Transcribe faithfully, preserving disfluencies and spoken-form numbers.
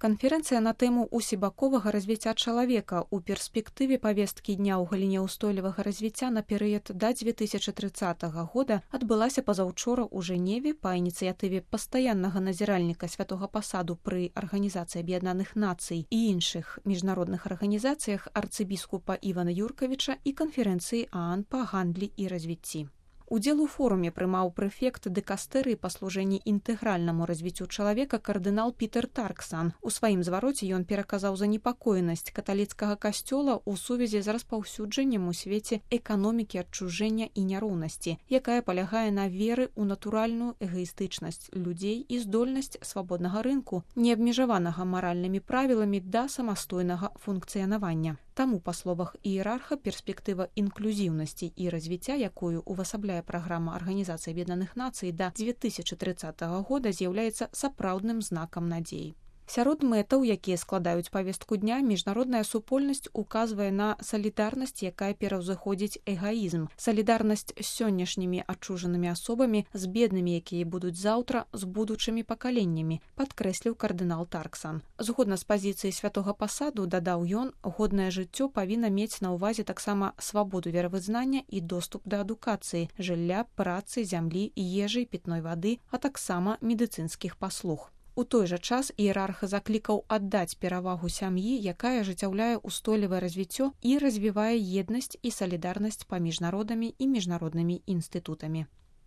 Канферэнцыя на тэму усебаковага развіцця чалавека ў перспектыве павесткі дня ў галіне ўстойлівага развіцця на перыяд да дзве тысячы трыццатага года адбылася пазаўчора ў Жэневе па ініцыятыве пастаяннага назіральніка святога пасаду пры Арганізацыі Аб'яднаных Нацый і іншых міжнародных арганізацыях арцыбіскупа Івана Юркавіча і канферэнцыі ААН па гандлі і развіцці. Удзел у форуме прымаў прэфект дыкастэрыі па служэнні інтэгральнаму развіццю чалавека кардынал Пітер Тарксан. У сваім звароце ён пераказаў занепакоенасць каталіцкага касцёла ў сувязі з распаўсюджаннем у свеце эканомікі адчужэння і няроўнасці, якая палягае на веры ў натуральную эгаістычнасць людзей і здольнасць свабоднага рынку, не абмежаванага маральнымі правіламі да самастойнага функцыянавання. Таму, па словах іерарха, перспектыва інклюзіўнасці і развіцця, якую увасабляе праграма Арганізацыі Аб'яднаных Нацый да дзве тысячы трыццатага года, з'яўляецца сапраўдным знакам надзеі. Сярод мэтаў, якія складаюць павестку дня, міжнародная супольнасць указвае на салідарнасць, якая пераўзыходзіць эгаізм, салідарнасць з сённяшнімі адчужанымі асобамі, з беднымі, якія будуць заўтра, з будучымі пакаленнямі, падкрэсліў кардынал Тарксан. Згодна з пазіцыяй святога пасаду, дадаў ён, годнае жыццё павінна мець на ўвазе таксама свабоду веравызнання і доступ да адукацыі, жылля, працы, зямлі, ежы, пітной вады, а таксама медыцынскіх паслуг. У той жа час іерарх заклікаў аддаць перавагу сям'і, якая ажыццяўляе ўстойлівае развіццё і развівае еднасць і салідарнасць паміж народамі і міжнароднымі інстытутамі.